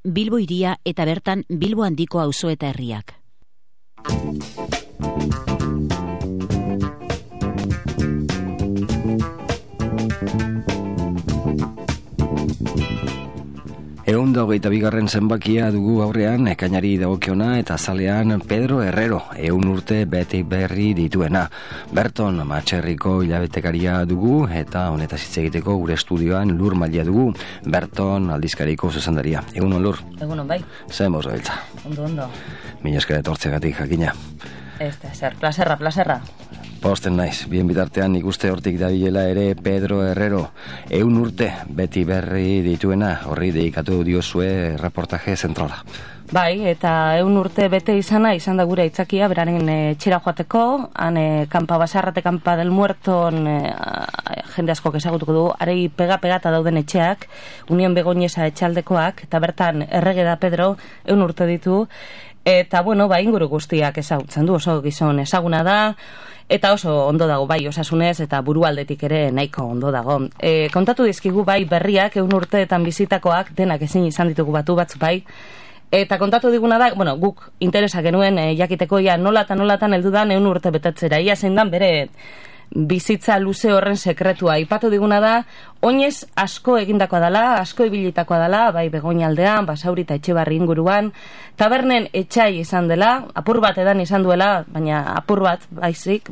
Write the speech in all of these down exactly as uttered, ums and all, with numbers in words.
Bilbo hiria eta bertan Bilbo handiko auzo eta herriak. Ehun da hogeita bigarren zenbakia dugu aurrean, ekainari dagokiona eta azalean Pedro Herrero, ehun urte beti berri dituena. Berton Matxerriko hilabetekaria dugu eta honetaz hitz egiteko gure estudioan Lur Malia dugu, Berton aldizkariko zuzendaria. Egunon, Lur? Egunon, bai. Zer moz gabiltza? Ondo, ondo. Mila esker etortzeagatik jakina. Ez da, zer, plazerra, plazerra. Posten naiz, bien bitartean ikuste hortik dabilela ere Pedro Herrero, ehun urte beti berri dituena, horri dedikatu diozue reportaje zentrala. Bai, eta ehun urte bete izana izan da gure aitzakia, beraren e, txera joateko, han e, kanpa basarrate kanpa del muerton e, jende asko ezagutuko du, arei pega-pegata dauden etxeak, Union Begoñesa etxaldekoak, eta bertan errege da Pedro, ehun urte ditu, eta bueno, ba, inguru guztiak ezagutzen du, oso gizon ezaguna da, eta oso ondo dago, bai, osasunez eta burualdetik ere nahiko ondo dago. E, kontatu dizkigu bai berriak, ehun urteetan bizitakoak, denak ezin izan ditugu batu batzu bai, eta kontatu diguna da, bueno, guk interesa genuen e, jakiteko ia nolatan nolatan heldu da ehun urte betetzera, ia zein dan bere bizitza luze horren sekretua. Aipatu diguna da, oinez asko egindakoa dela, asko ibilitakoa dela, bai Begoñaldean, Basauri eta Etxebarri inguruan, tabernen etxai izan dela, apur bat edan izan duela, baina apur bat baizik,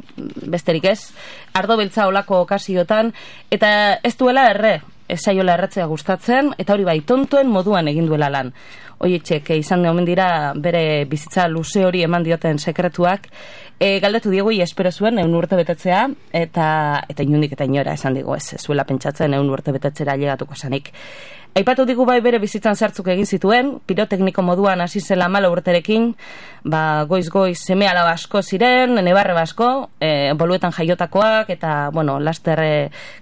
besterik ez, ardo beltza olako okasiotan, eta ez duela erre, ez zaiola erretzea gustatzen, eta hori bai, tontuen moduan egin duela lan. Oietxek izan omen dira bere bizitza luze hori eman dioten sekretuak, e, galdetu diegu espero zuen ehun urte betetzea, eta eta inundik eta inora esan digu ez, ez zuela pentsatzen ehun urte betetzera llegatuko zanik. Aipatu digu bai bere bizitzan sartzuk egin zituen, pirotekniko moduan hasi zela hamala urterekin, ba, goiz-goiz seme alaba asko ziren, nebarre asko, e, boluetan jaiotakoak, eta, bueno, laster e,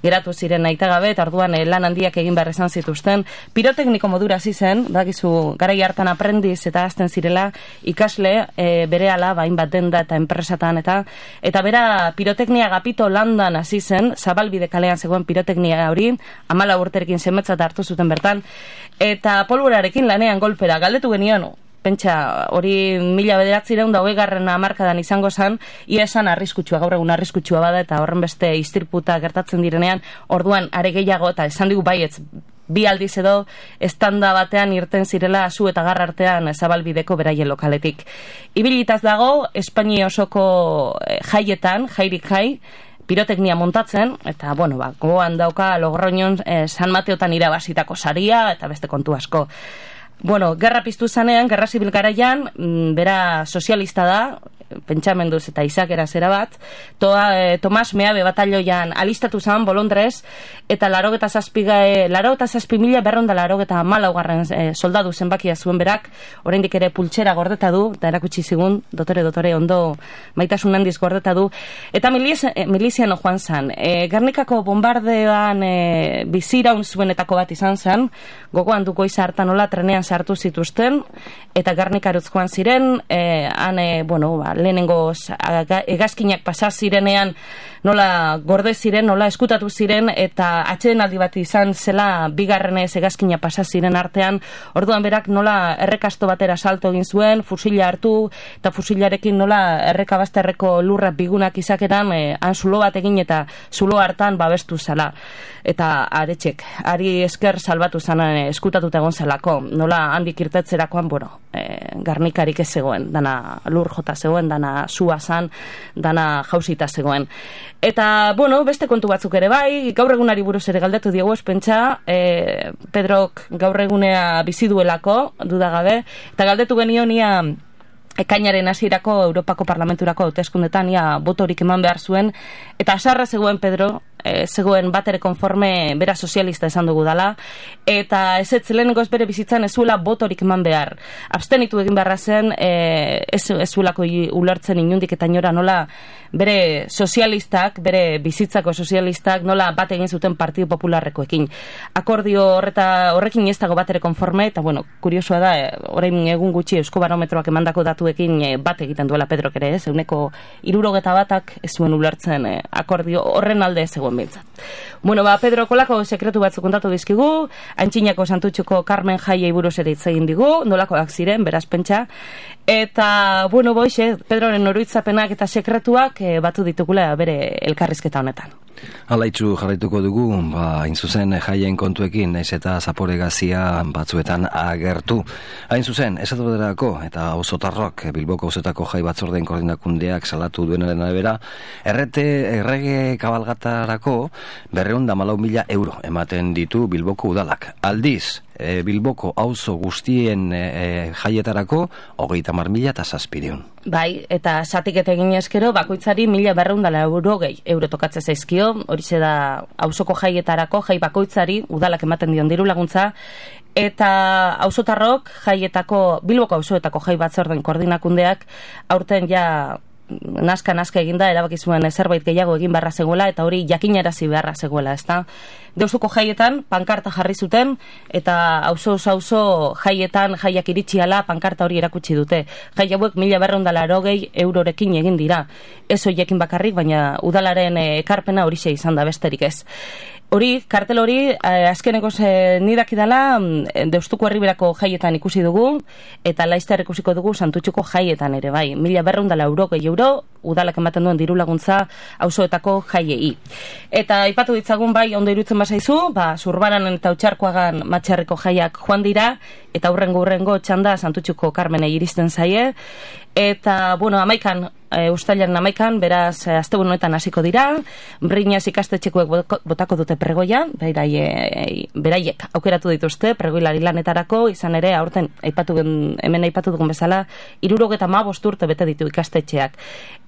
geratu ziren aitagabe, eta orduan e, lan handiak egin behar izan zituzten. Pirotekniko modura hasi zen, dakizu, garai hartan aprendiz eta azten zirela, ikasle e, bere ala, bain bat denda eta enpresatan, eta eta bera piroteknia gapito landan hasi zen, Zabalbide kalean zegoen piroteknia hori, hamala urterekin semetzat hartu zuten bertan, eta polvorarekin lanean golpera galdetu genion, pentsa hori mila bederatzireun da hogeigarren hamarkadan izango zen, ia esan arriskutsua, gaur egun arriskutsua bada, eta horren beste istirputa gertatzen direnean, orduan are gehiago, eta esan digu baietz, bi aldiz edo estanda batean irten zirela zu eta garra artean Zabalbideko beraien lokaletik. Ibilitaz dago, Espainia osoko jaietan, jairik jai, piroteknia montatzen, eta, bueno, ba, gogoan dauka Logroñon eh, San Mateotan irabazitako saria, eta beste kontu asko. Bueno, gerra piztu zanean, gerra zibil garaian, mm, bera sozialista da, pentsamenduz eta izakera zera bat, toa, e, Tomas Meabe batalloian alistatu zen Bolondrez, eta larogeta zazpiga, e, larogeta zazpi mila berronda larogeta malaugarren e, soldadu zenbakia zuen berak, oraindik ere pultsera gordeta du, eta erakutsi zigun, dotore, dotore, ondo maitasun handiz gordeta du, eta milizia, e, miliziano joan zen. E, Gernikako bombardean e, biziraun zuenetako bat izan zen, gogoan duko izan hartan hola trenean sartu zituzten, eta Gernikarutz joan ziren, e, han, e, bueno, ba, lehenengo hegazkinak pasa zirenean nola gorde ziren, nola eskutatu ziren, eta atxeden aldi bat izan zela bigarrenez hegazkina pasa ziren artean, orduan berak nola errekasto batera salto egin zuen, fusila hartu, eta fusilarekin nola errekabazterreko lurra bigunak izakeran, e, han zulo bat egin eta zulo hartan babestu zela. Eta aretxek, ari esker salbatu zanan e, eskutatuta egon zelako, nola handik irtetzerakoan, bueno, e, garnikarik ez zegoen, dana lur jota zegoen, dana sua zan, dana jausita zegoen. Eta, bueno, beste kontu batzuk ere bai, gaur egunari buruz ere galdetu diegu espentsa, e, Pedrok gaur egunea bizi duelako, dudagabe, eta galdetu genion ia ekainaren hasierako Europako Parlamenturako hauteskundetan ia botorik eman behar zuen, eta asarra zegoen Pedro, e, zegoen bat ere konforme bera sozialista esan dugu dala, eta ez ez lehenengo ez bere bizitzan ez zuela botorik eman behar. Abstenitu egin beharra zen, e, ez, ez zuelako ulertzen inundik eta inora nola bere sozialistak, bere bizitzako sozialistak nola bat egin zuten Partido Popularrekoekin. Akordio horreta horrekin ez dago bat ere konforme, eta bueno, kuriosoa da, e, orain egun gutxi Euskobarometroak emandako datuekin e, bat egiten duela Pedrok ere, ez, euneko hirurogeta batak ez zuen ulertzen e, akordio horren alde ez zegoen. egon bintzat. Bueno, ba, Pedro kolako sekretu batzuk kontatu dizkigu, Antxinako Santutxuko Carmen jaiei buruz ere hitz egin digu, nolakoak ziren, beraz pentsa, eta, bueno, boixe, Pedroren oroitzapenak eta sekretuak e, batu ditugula bere elkarrizketa honetan. Alaitzu jarraituko dugu, ba, hain zuzen jaien kontuekin, naiz eta zapore gazia batzuetan agertu. Hain zuzen, esatu baterako eta auzotarrok Bilboko auzoetako jai batzordeen koordinakundeak salatu duenaren arabera, errete errege kabalgatarako berreun da malau mila euro ematen ditu Bilboko udalak. Aldiz, e, Bilboko auzo guztien e, jaietarako hogeita hamar mila eta zazpireun. Bai, eta zatiketa egin eskero, bakoitzari mila berreun dala euro gehi euro tokatze zaizkio, horixe da auzoko jaietarako, jai bakoitzari udalak ematen dion diru laguntza, eta auzotarrok jaietako, Bilboko auzoetako jai batzorden koordinakundeak aurten ja naska-naska eginda, erabaki zuen zerbait gehiago egin beharra zegoela, eta hori jakinarazi beharra zegoela, ezta? Deustuko jaietan pankarta jarri zuten, eta auzo-auzo jaietan jaiak iritsiala pankarta hori erakutsi dute. Jai hauek mila berreun dala erogei eurorekin egin dira. Ez hoiekin bakarrik, baina udalaren ekarpena horixe izan da besterik ez. Hori, kartel hori, eh, azkeneko nidak idala, Deustuko herriberako jaietan ikusi dugu, eta Laizter ikusiko dugu Santutxuko jaietan ere, bai. Mila berreun dala euro gehi euro, udalak ematen duen diru laguntza auzoetako jaiei. Eta aipatu ditzagun, bai, ondo irutzen bazaizu, ba, Zurbaranen eta Otxarkoagan Matxarreko jaiak joan dira, eta hurrengo hurrengo txanda Santutxuko Karmenei iristen zaie, eta, bueno, amaikan, e, ustailaren amaikan, beraz, asteburu honetan hasiko dira, Briñas ikastetxekoek botako dute pregoia, beraie, beraiek aukeratu dituzte, pregoilari lanetarako, izan ere, aurten, aipatu gen, hemen aipatu dugun bezala, hirurogeta hamabost urte bete ditu ikastetxeak.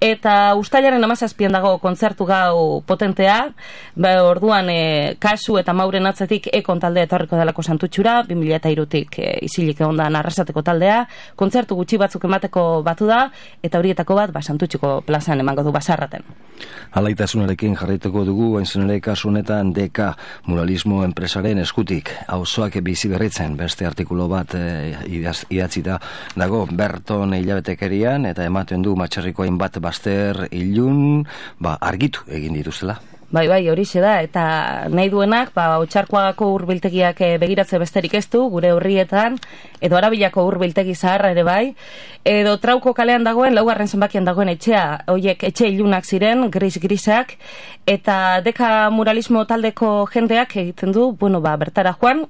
Eta ustailaren hamazazpian dago kontzertu gau potentea, ba, orduan, e, Kasu eta Mauren atzetik ekon taldea etorriko delako Santutxura, bi mila hirutik e, isilik egondan arrasateko taldea, kontzertu gutxi batzuk emateko batu da, eta horietako bat, ba, Santutxuko plazan emango du Basarraten. Alaitasunarekin jarraituko dugu, hain ere kasu honetan D K muralismo enpresaren eskutik, auzoak bizi berritzen, beste artikulu bat e, idatzita dago Berton hilabetekerian, eta ematen du Matxarriko hainbat bazter ilun, ba, argitu egin dituztela. Bai, bai, horixe da, eta nahi duenak, ba, Otxarkoagako hurbiltegiak begiratze besterik ez du, gure horrietan, edo Arabilako hurbiltegi zaharra ere bai, edo Trauko kalean dagoen, laugarren zenbakian dagoen etxea, hoiek etxe ilunak ziren, gris-grisak, eta deka muralismo taldeko jendeak egiten du, bueno, ba, bertara joan,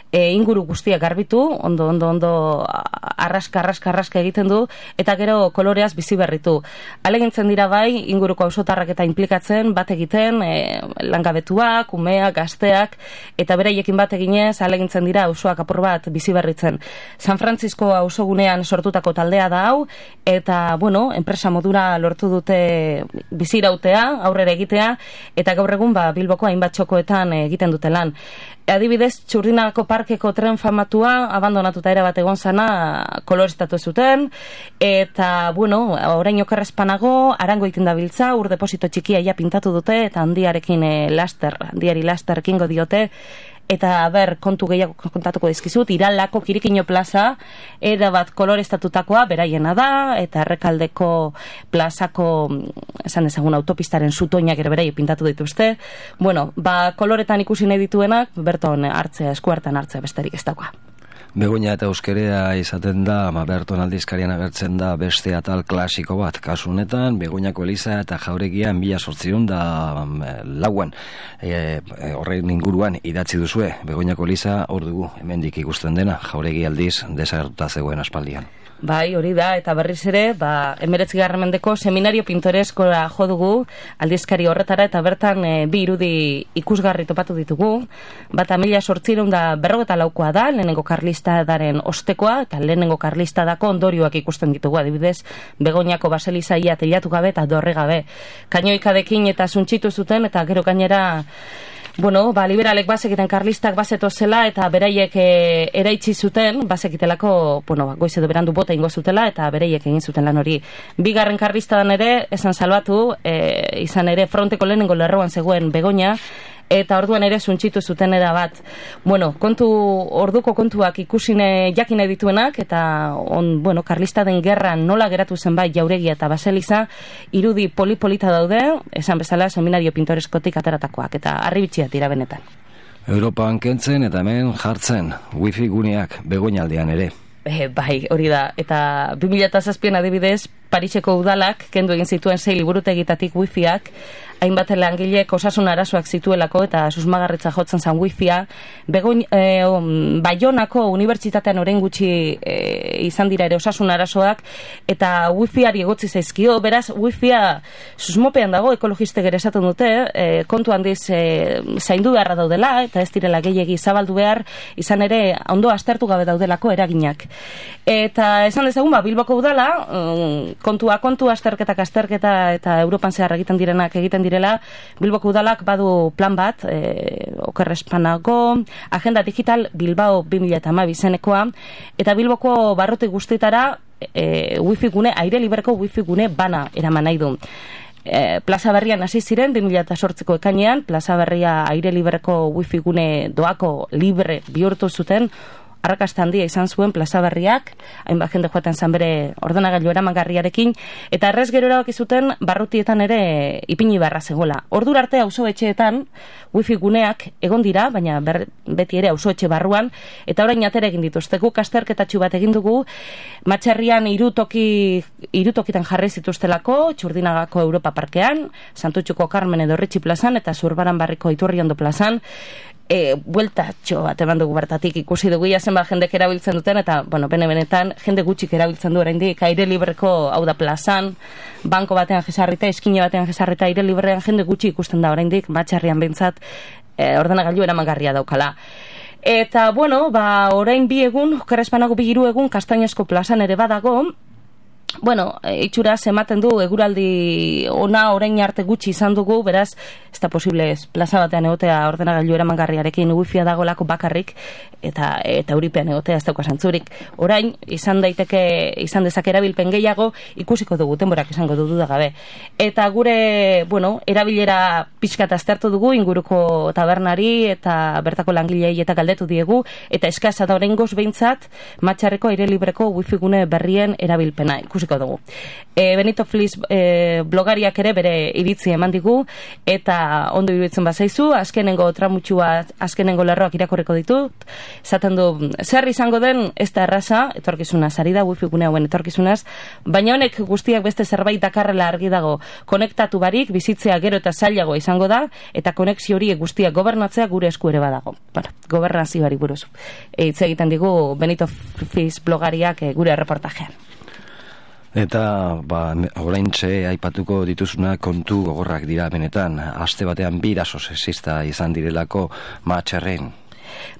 E, inguru guztiak garbitu, ondo, ondo, ondo arraska, arraska, arraska egiten du, eta gero koloreaz bizi berritu. Alegintzen dira bai, inguruko auzotarrak eta implikatzen, bat egiten, e, langabetuak, umeak, gazteak, eta beraiekin bat eginez, alegintzen dira auzoak apur bat bizi berritzen. San Francisco auzogunean sortutako taldea da hau, eta, bueno, enpresa modura lortu dute bizirautea, aurrera egitea, eta gaur egun, ba, Bilboko hainbat txokoetan egiten dute lan. Adibidez, Txurdinako parkeko tren famatua abandonatuta ere bat egon zana kolorestatu zuten, eta, bueno, orain okerrezpanago, arango iten dabiltza, ur deposito txikia ja pintatu dute, eta handiarekin e, laster, handiari laster kingo diote, eta, ber, kontu gehiago kontatuko dizkizut, Iralako Kirikino plaza, era bat kolorestatutakoa, beraiena da, eta Errekaldeko plazako, esan dezagun, autopistaren zutoinak ere beraie pintatu dituzte. Bueno, ba, koloretan ikusi nahi dituenak, Berton hartzea, eskuartan hartzea besterik ez dagoa. Begoña eta euskerea izaten da, ma Berton aldizkarian agertzen da beste atal klasiko bat. Kasu honetan, Begoñako Eliza eta Jauregian mila sortziehun da lauen e, horren inguruan idatzi duzue. Begoñako Eliza hor dugu, hemendik ikusten dena, Jauregi aldiz desagertuta zegoen aspaldian. Bai, hori da, eta berriz ere, ba, emeretzigarren mendeko seminario pintoreskora jo dugu, aldizkari horretara, eta bertan e, bi irudi ikusgarri topatu ditugu. Bata mila sortziehun da berrogeta laukoa da, lehenengo karlistadaren ostekoa, eta lehenengo karlistadako ondorioak ikusten ditugu, adibidez, Begoñako baselizaia telatu gabe eta dorre gabe. Kainoikadekin eta zuntxitu zuten, eta gero gainera, bueno, ba, liberalek bazekiten karlistak bazeto zela, eta beraiek e, eraitsi zuten, bazekitelako, bueno, goiz edo berandu bota ingo zutela, eta beraiek egin zuten lan hori. Bigarren karlistadan ere, esan salbatu, e, izan ere fronteko lehenengo lerroan zegoen Begoña, eta orduan ere suntxitu zuten era bat. Bueno, kontu, orduko kontuak ikusine jakine dituenak, eta on, bueno, Karlistaden gerran nola geratu zen bai Jauregia eta Baseliza, irudi polipolita daude, esan bezala seminario pintoreskotik ateratakoak, eta harribitxia tira benetan. Europan kentzen eta hemen jartzen, wifi guneak begoinaldean ere. E, bai, hori da, eta bi mila zazpian adibidez, Pariseko udalak kendu egin zituen sei liburutegitatik wifiak, hainbat langilek osasun arazoak zituelako eta susmagarritza jotzen zen wifia. Begoin, e, Baionako unibertsitatean orain gutxi e, izan dira ere osasun arazoak, eta wifiari egotzi zaizkio, beraz wifia susmopean dago, ekologistek ere esaten dute, e, kontu handiz e, zaindu beharra daudela, eta ez direla gehiegi zabaldu behar, izan ere ondo aztertu gabe daudelako eraginak. Eta esan dezagun, ba, Bilboko udala, um, kontua kontu, azterketak azterketa eta Europan zehar egiten direnak egiten direla, Bilboko udalak badu plan bat, e, okerrespanako, agenda digital Bilbao bi mila hamabi izenekoa, eta Bilboko barruti guztietara e, wifi gune, aire liberko wifi gune bana eraman nahi du. E, Plaza Berrian hasi ziren bi mila zortziko ekainean, Plaza Berria aire liberko wifi gune doako libre bihurtu zuten, arrakasta handia izan zuen Plaza Berriak, hainbat jende joaten zan bere ordenagailu eramangarriarekin, eta errez gero erabaki zuten barrutietan ere ipini beharra zegoela. Ordura arte auzoetxeetan wifi guneak egon dira, baina ber, beti ere auzoetxe barruan, eta orain atera egin dituzte. Guk azterketatxu bat egin dugu, Matxarrian irutoki, irutokitan jarri zituztelako, Txurdinagako Europa Parkean, Santutxuko Carmen edo Ritxi plazan, eta Zurbaran Barriko Iturriondo plazan, E, bueltatxo bat eman dugu bertatik ikusi dugu ia zenbat jendek erabiltzen duten, eta, bueno, bene-benetan jende gutxik erabiltzen du oraindik aire libreko, hau da plazan, banko batean jesarrita, eskine batean jesarrita aire librean jende gutxi ikusten da oraindik, Matxarrian behintzat e, ordenagailu eramangarria daukala. Eta, bueno, ba, orain bi egun, Okerrespanago bi hiru egun, Kastainezko plazan ere badago. Bueno, itxuraz ematen du eguraldi ona orain arte gutxi izan dugu, beraz, ez da posible ez plaza batean egotea ordenagailu eramangarriarekin wifia dagolako bakarrik, eta eta euripean egotea ez dauka zantzurik. Orain, izan daiteke, izan dezake erabilpen gehiago, ikusiko dugu, denborak izango du duda gabe. Eta gure, bueno, erabilera pixkat aztertu dugu, inguruko tabernari eta bertako langilei eta galdetu diegu, eta eskasa da oraingoz behintzat, Matxarreko aire libreko wifi gune berrien erabilpena. Ikusiko dugu. E, Benito Flis e, blogariak ere bere iritzi eman digu, eta ondo iruditzen bazaizu, azkenengo tramutxua, azkenengo lerroak irakorriko ditut, esaten du, zer izango den, ez da erraza, etorkizunaz, ari da wifi gune hauen etorkizunaz, baina honek guztiak beste zerbait dakarrela argi dago, konektatu barik, bizitzea gero eta zailago izango da, eta konexio horiek guztiak gobernatzea gure esku ere badago. Bueno, gobernazioari buruz. E, hitz egiten digu Benito Flis blogariak e, gure reportajean. Eta, ba, oraintxe aipatuko dituzuna kontu gogorrak dira benetan, aste batean bi eraso sexista izan direlako Matxarren.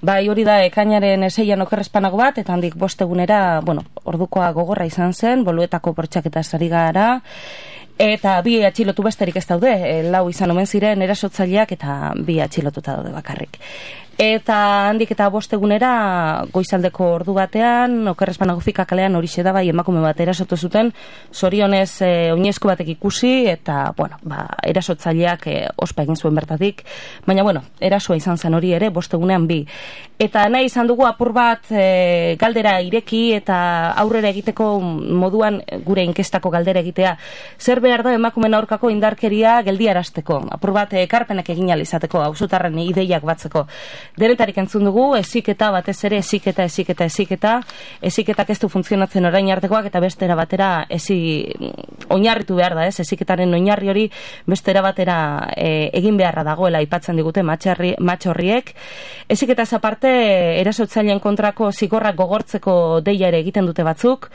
Bai, hori da, ekainaren eseian Okerrespanago bat, eta handik bostegunera, bueno, ordukoa gogorra izan zen, Boluetako bortxaketa ari gara, eta bi atxilotu besterik ez daude, e, lau izan omen ziren erasotzaileak, eta bi atxilotuta daude bakarrik. Eta handik eta bostegunera goizaldeko ordu batean, Okerrespanago fika kalean horixe da bai emakume bat erasotu zuten, zorionez e, oinezko batek ikusi, eta, bueno, ba, erasotzaileak e, ospa egin zuen bertatik, baina, bueno, erasoa izan zen hori ere, bostegunean bi. Eta nahi izan dugu apur bat e, galdera ireki eta aurrera egiteko moduan gure inkestako galdera egitea. Zer behar da emakumeen aurkako indarkeria geldiarazteko, apur bat ekarpenak egin ahal izateko, auzotarren ideiak batzeko. Denetarik entzun dugu, eziketa batez ere, eziketa, eziketa, eziketa, eziketak ez du funtzionatzen orain artekoak, eta bestera batera ezi oinarritu behar da, ez, eziketaren oinarri hori bestera batera e, egin beharra dagoela aipatzen digute matxarri, matxorriek. Eziketaz aparte, erasotzaileen kontrako zigorrak gogortzeko deia ere egiten dute batzuk,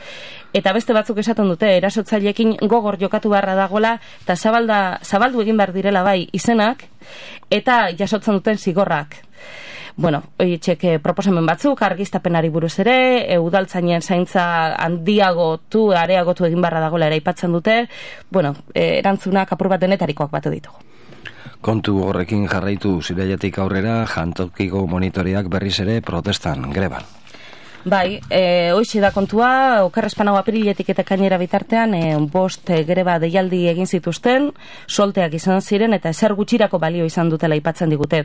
eta beste batzuk esaten dute, erasotzaileekin gogor jokatu beharra dagoela, eta zabalda, zabaldu egin behar direla bai izenak, eta jasotzen duten zigorrak. Bueno, oietxek proposamen batzuk, argiztapenari buruz ere, e, udaltzainen zaintza handiagotu, areagotu egin barra dagoela ere aipatzen dute, bueno, e, erantzunak apur bat denetarikoak batu ditugu. Kontu horrekin jarraitu zirailetik aurrera, jantokiko monitoreak berriz ere protestan, greban. Bai, e, hoxe da kontua, okerrezpanago apiriletik eta kainera bitartean, e, bost e, greba deialdi egin zituzten, solteak izan ziren eta ezer gutxirako balio izan dutela aipatzen digute.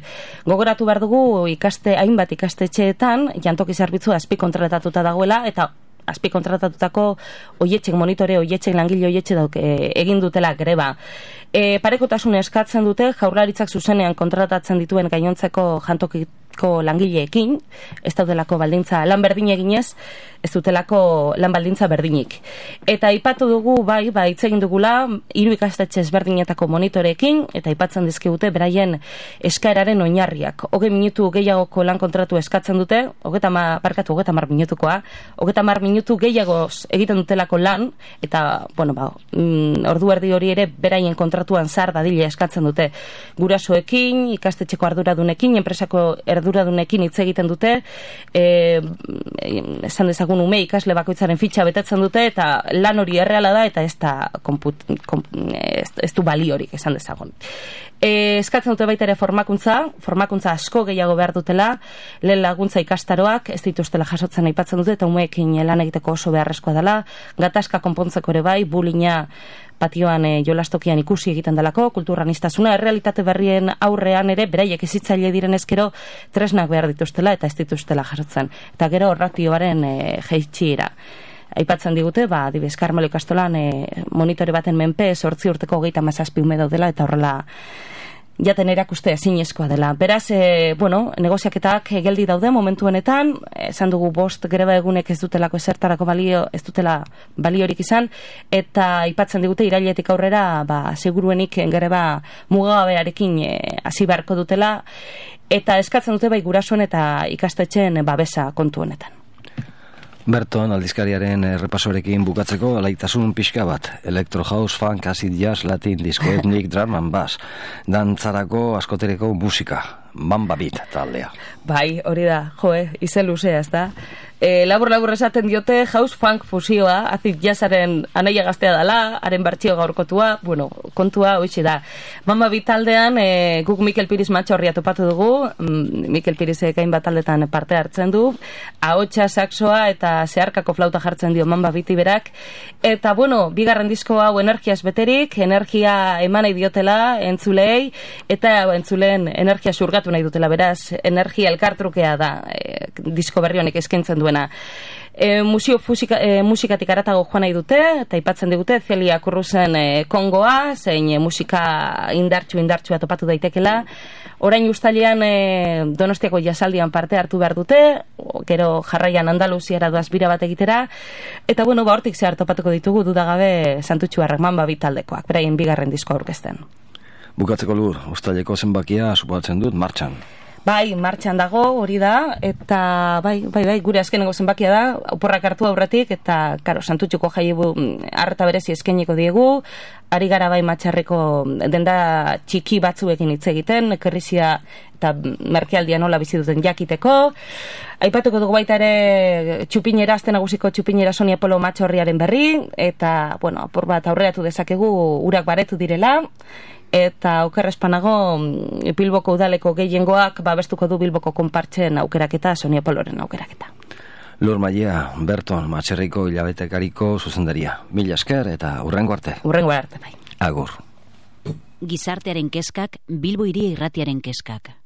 Gogoratu behar dugu ikaste, hainbat ikastetxeetan, jantoki zerbitzua azpi kontratatuta dagoela, eta azpi kontratatutako oietxek, monitore oietxek, langile oietxe dauk e, egin dutela greba. E, parekotasun eskatzen dute, jaurlaritzak zuzenean kontratatzen dituen gainontzeko jantokiko langileekin, ez daudelako baldintza lan berdin eginez, ez dutelako lan baldintza berdinik. Eta aipatu dugu, bai, bai, hitz egin dugula, hiru ikastetxe ezberdinetako monitoreekin, eta aipatzen dizkigute beraien eskaeraren oinarriak. Hogei minutu gehiagoko lan kontratu eskatzen dute, hogeta mar, barkatu, hogeta mar minutukoa, hogeta mar minutu gehiagoz egiten dutelako lan, eta, bueno, ba, mm, ordu erdi hori ere beraien kontratuan zar dadila eskatzen dute. Gurasoekin, ikastetxeko arduradunekin, enpresako arduradunekin hitz egiten dute, e, esan dezagun ume ikasle bakoitzaren fitxa betetzen dute, eta lan hori erreala da, eta ez da komput, komp, ez, ez du baliorik, esan dezagun. E, eskatzen dute baita ere formakuntza, formakuntza asko gehiago behar dutela, lehen laguntza ikastaroak, ez dituztela jasotzen aipatzen dute, eta umeekin lan egiteko oso beharrezkoa dela, gatazka konpontzeko ere bai, bulina patioan e, jolastokian ikusi egiten delako, kulturranistasuna, errealitate berrien aurrean ere, beraiek ezitzaile diren ezkero, tresnak behar dituztela eta ez dituztela jasotzen. Eta gero ratioaren e, jeitxiera. Aipatzen digute, ba, adibidez, Karmelo ikastolan e, monitore baten menpe, zortzi urteko hogeita hamazazpi ume daudela, eta horrela jaten erakuste ezinezkoa dela. Beraz, e, bueno, negoziaketak geldi daude momentu honetan, esan dugu bost greba egunek ez dutelako ezertarako balio, ez dutela baliorik izan, eta aipatzen digute irailetik aurrera, ba, seguruenik greba mugagabearekin hasi e, beharko dutela, eta eskatzen dute bai gurasoen eta ikastetxeen babesa kontu honetan. Berton, aldizkariaren errepasorekin bukatzeko alaitasun pixka bat. Electro house, funk, acid jazz, latin, disco etnik, drum and bass. Dantzarako askotereko musika. Mamba Beat taldea. Bai, hori da, joe, izen luzea, ez da. E, labur-labur esaten diote house funk fusioa, acid jazzaren anaia gaztea dala, haren bertsio gaurkotua, bueno, kontua hoxe da. Mamba Beat taldean, e, guk Mikel Piriz matxorria topatu dugu, mm, Mikel Pirizek hainbat taldetan parte hartzen du, ahotsa, saxoa eta zeharkako flauta jartzen dio Mamba Beati berak, eta bueno, bigarren disko hau energiaz beterik, energia eman nahi diotela entzulei, eta entzuleen energia surgatu nahi dutela, beraz, energia elkartrukea da e, disko berri honek eskaintzen duena. E, musio fusika, e, musikatik aratago joan nahi dute, eta aipatzen digute Celia Kurruzen e, Kongoa, zein e, musika indartxu indartxua topatu daitekela. Orain ustailean e, Donostiako jasaldian parte hartu behar dute, gero jarraian Andaluziara doaz bira bat egitera, eta bueno, ba hortik zehar topatuko ditugu dudagabe Santutxuarrak Mamba Beat taldekoak, beraien bigarren disko aurkezten. Bukatzeko Lur, ustaileko zenbakia suposatzen dut martxan. Bai, martxan dago, hori da, eta bai, bai, bai, gure azkeneko zenbakia da, oporrak hartu aurretik, eta, karo, Santutxuko jaibu harta berezi eskainiko diegu, ari gara bai matxarreko denda txiki batzuekin hitz egiten, krizia eta merkealdia nola bizi duten jakiteko. Aipatuko dugu baita ere txupinera, azte nagusiko txupinera Sonia Polo matxorriaren berri, eta, bueno, apur bat aurreratu dezakegu urak baretu direla, eta okerrezpanago Bilboko udaleko gehiengoak babestuko du Bilboko konpartzen aukeraketa, Sonia Poloren aukeraketa. Lur Maia, Berton, matxerriko hilabetekariko zuzendaria. Mila esker eta hurrengo arte. Hurrengo arte, bai. Agur. Gizartearen kezkak, Bilbo Hiria Irratiaren kezkak.